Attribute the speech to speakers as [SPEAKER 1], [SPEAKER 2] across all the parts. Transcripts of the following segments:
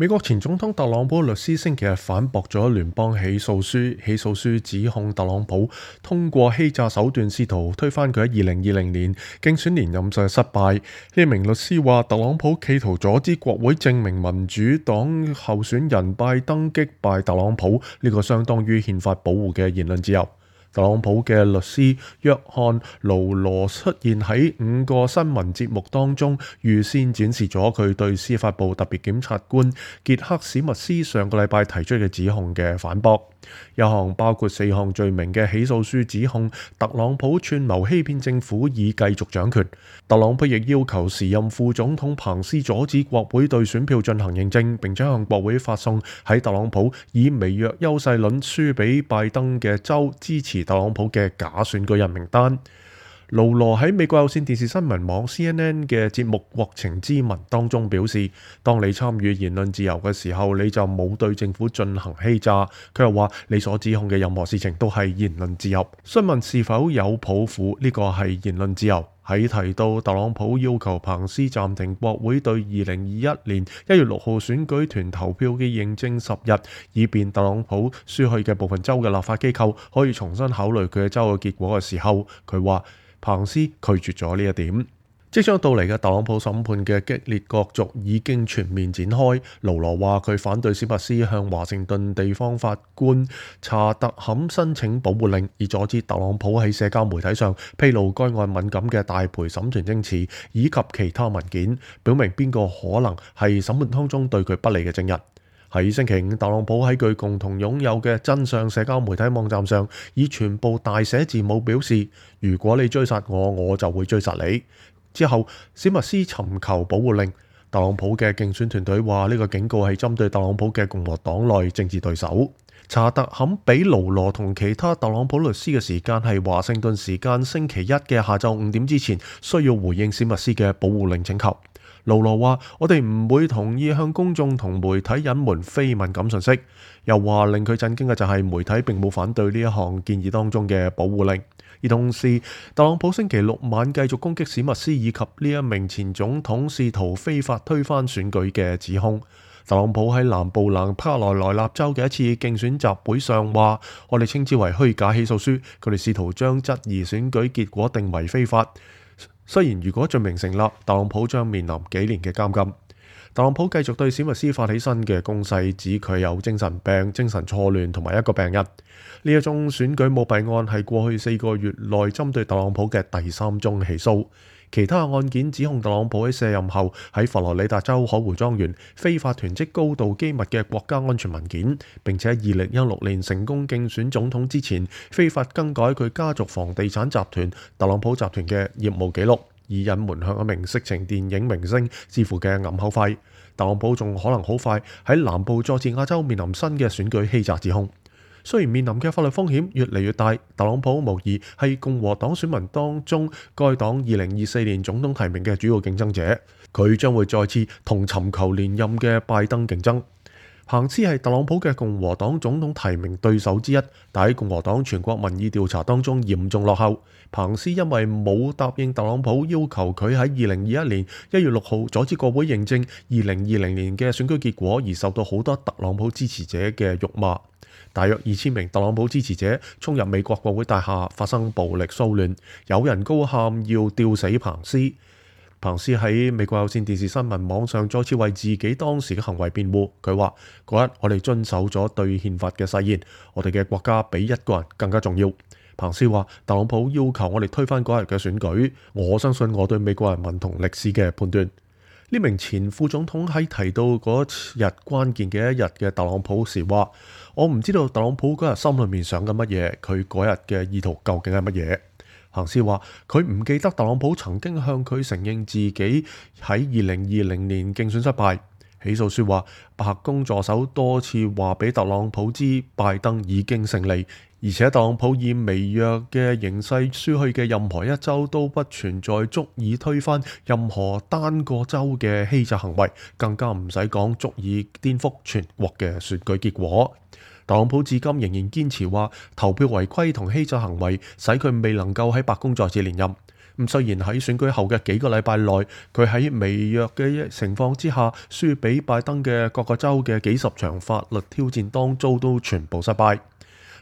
[SPEAKER 1] 美國前總統特朗普律師星期日反駁咗聯邦起訴書指控特朗普通過欺詐手段試圖推翻佢喺2020年競選連任嘅失敗。呢名律師話，特朗普企圖阻止國會證明民主黨候選人拜登擊敗特朗普，呢個相當於憲法保護嘅言論自由。特朗普嘅律師約翰勞羅出現喺5個新聞節目當中，預先展示咗佢對司法部特別檢察官傑克史密斯上個禮拜提出嘅指控嘅反駁。一項包括4項罪名嘅起訴書指控特朗普串謀欺騙政府以繼續掌權。特朗普亦要求時任副總統彭斯阻止國會對選票進行認證，並且向國會發送喺特朗普以微弱優勢論輸俾拜登嘅州支持特朗普嘅假選舉人名單。勞羅喺美國有線電視新聞網 CNN 嘅節目《國情咨文》當中表示，當你參與言論自由嘅時候，你就冇對政府進行欺詐。佢又話，你所指控嘅任何事情都係言論自由。詢問是否有抱負，呢個係言論自由。喺提到特朗普要求彭斯暫停國會對2021年1月6號選舉團投票嘅認證10日，以便特朗普輸去嘅部分州嘅立法機構可以重新考慮佢嘅州嘅結果嘅時候，佢話彭斯拒絕咗呢一點。即將到嚟嘅特朗普審判嘅激烈角逐已經全面展開。勞羅話佢反對史密斯向華盛頓地方法官查特坎申請保護令，以阻止特朗普喺社交媒體上披露該案敏感嘅大陪審團證詞以及其他文件，表明邊個可能係審判當中對佢不利嘅證人。喺星期五，特朗普喺佢共同擁有嘅真相社交媒體網站上，以全部大寫字母表示：如果你追殺我，我就會追殺你。之後，史密斯尋求保護令。特朗普嘅競選團隊話呢個警告係針對特朗普嘅共和黨內政治對手。查特坎俾勞羅同其他特朗普律師嘅時間係華盛頓時間星期一嘅下晝5點之前，需要回應史密斯嘅保護令請求。勞羅話：我哋唔會同意向公眾同媒體隱瞞非敏感信息。又話令佢震驚嘅就係媒體並冇反對呢一項建議當中嘅保護令。而同時，特朗普星期六晚繼續攻擊史密斯以及呢一名前總統試圖非法推翻選舉嘅指控。特朗普喺南部卡羅來納州嘅一次競選集會上話：我哋稱之為虛假起訴書，佢哋試圖將質疑選舉結果定為非法。雖然如果罪名成立，特朗普將面臨幾年嘅監禁。特朗普繼續對史密斯發起新嘅攻勢，指佢有精神病、精神錯亂同埋一個病人。呢一宗選舉舞弊案係過去4個月內針對特朗普嘅第3宗起訴。其他案件指控特朗普喺卸任後喺佛羅里達州海湖莊園非法囤積高度機密嘅國家安全文件，並且喺2016年成功競選總統之前非法更改佢家族房地產集團特朗普集團嘅業務記錄，以隱瞞向一名色情電影明星支付嘅暗口費。特朗普仲可能好快喺南部佐治亞州面臨新嘅選舉欺詐指控。雖然面臨嘅法律風險越嚟越大，特朗普無疑係共和黨選民當中該黨2024年總統提名嘅主要競爭者。佢將會再次同尋求連任嘅拜登競爭。彭斯係特朗普嘅共和黨總統提名對手之一，但喺共和黨全國民意調查當中嚴重落後。彭斯因為冇答應特朗普要求佢喺2021年1月6號阻止國會認證2020年嘅選舉結果，而受到好多特朗普支持者嘅辱罵。大約2000名特朗普支持者衝入美國國會大廈，發生暴力騷亂，有人高喊要吊死彭斯。彭斯喺美國有線電視新聞網上再次為自己當時嘅行為辯護。佢話：嗰日我哋遵守咗對憲法嘅誓言，我哋嘅國家比一個人更加重要。彭斯話：特朗普要求我哋推翻嗰日嘅選舉，我相信我對美國人民同歷史嘅判斷。呢名前副總統喺提到嗰日關鍵嘅一日嘅特朗普時話：我唔知道特朗普嗰日心裏面想緊乜嘢，佢嗰日嘅意圖究竟係乜嘢。彭斯話：佢唔記得特朗普曾經向佢承認自己喺2020年競選失敗。起訴書話，白宮助手多次話俾特朗普知拜登已經勝利，而且特朗普以微弱嘅形勢輸去嘅任何一州都不存在足以推翻任何單個州嘅欺詐行為，更加唔使講足以顛覆全國嘅選舉結果。特朗普至今仍然堅持話投票違規同欺詐行為使佢未能夠喺白宮再次連任。雖然喺選舉後嘅幾個禮拜內，佢喺微弱嘅情況之下輸俾拜登嘅各個州嘅幾十場法律挑戰當中都全部失敗。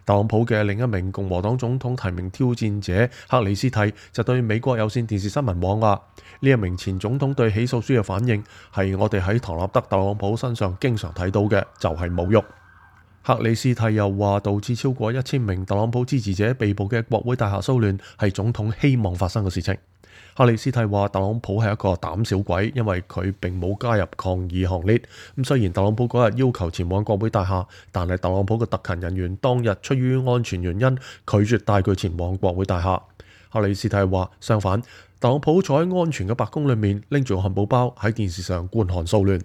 [SPEAKER 1] 特朗普嘅另一名共和黨總統提名挑戰者克里斯蒂就對美國有線電視新聞網話：呢一名前總統對起訴書嘅反應係我哋喺唐納德特朗普身上經常睇到嘅，就係侮辱。克里斯蒂又話，導致超過1000名特朗普支持者被捕嘅國會大廈騷亂係總統希望發生嘅事情。克里斯蒂話，特朗普係一個膽小鬼，因為佢並冇加入抗議行列。雖然特朗普嗰日要求前往國會大廈，但係特朗普嘅特勤人員當日出於安全原因拒絕帶佢前往國會大廈。克里斯蒂話，相反，特朗普坐喺安全嘅白宮裏面，拎住個漢堡包喺電視上觀看騷亂。